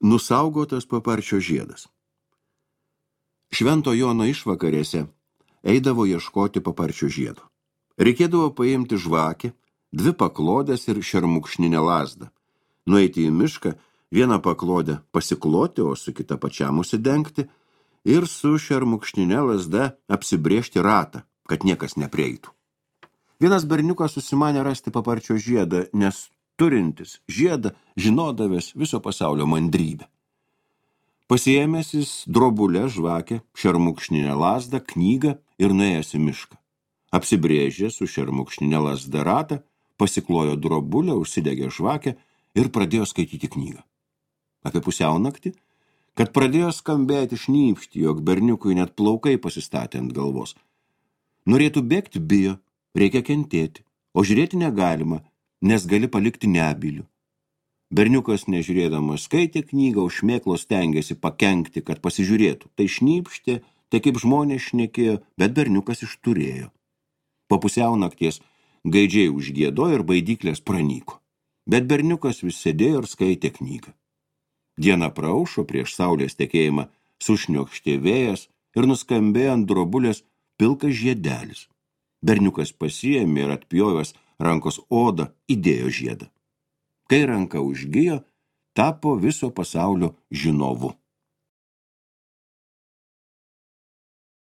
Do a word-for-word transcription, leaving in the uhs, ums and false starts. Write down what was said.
Nusaugotas paparčio žiedas. Švento Jono išvakarėse eidavo ieškoti paparčio žiedo. Reikėdavo paimti žvakę, dvi paklodės ir šermukšninę lazdą. Nueiti į mišką, vieną paklodę pasikloti, o su kita pačiam užsidengti ir su šermukšninė lazda apsibrėžti ratą, kad niekas neprieitų. Vienas berniukas susimanė rasti paparčio žiedą, nes turintis žiedą žinodavęs viso pasaulio mandrybę. Pasiėmęs jis drobulę, žvakę, šermukšninę lazdą, knygą ir nuėjęs į mišką. Apsibrėžė su šermukšninė lazda ratą, pasiklojo drobulę, užsidegė žvakę ir pradėjo skaityti knygą. Apie pusiaunaktį, kad pradėjo skambėti šnypšti, jog berniukui net plaukai pasistatė ant galvos. Norėtų bėgti bijo, reikia kentėti, o žiūrėti negalima, nes gali palikti nebylių. Berniukas nežiūrėdamas skaitė knygą, už šmėklos stengėsi pakenkti, kad pasižiūrėtų. Tai šnypštė, tai kaip žmonės šnekėjo, bet berniukas išturėjo. Po pusiaunakties gaidžiai užgiedojo ir baidyklės pranyko. Bet berniukas vis sėdėjo ir skaitė knygą. Diena praaušo, prieš saulės tekėjimą sušniokštė vėjas ir nuskambėjo ant drobulės pilkas žiedelis. Berniukas pasiėmė ir atpjovęs rankos odą įdėjo žiedą. Kai ranka užgijo, tapo viso pasaulio žinovu.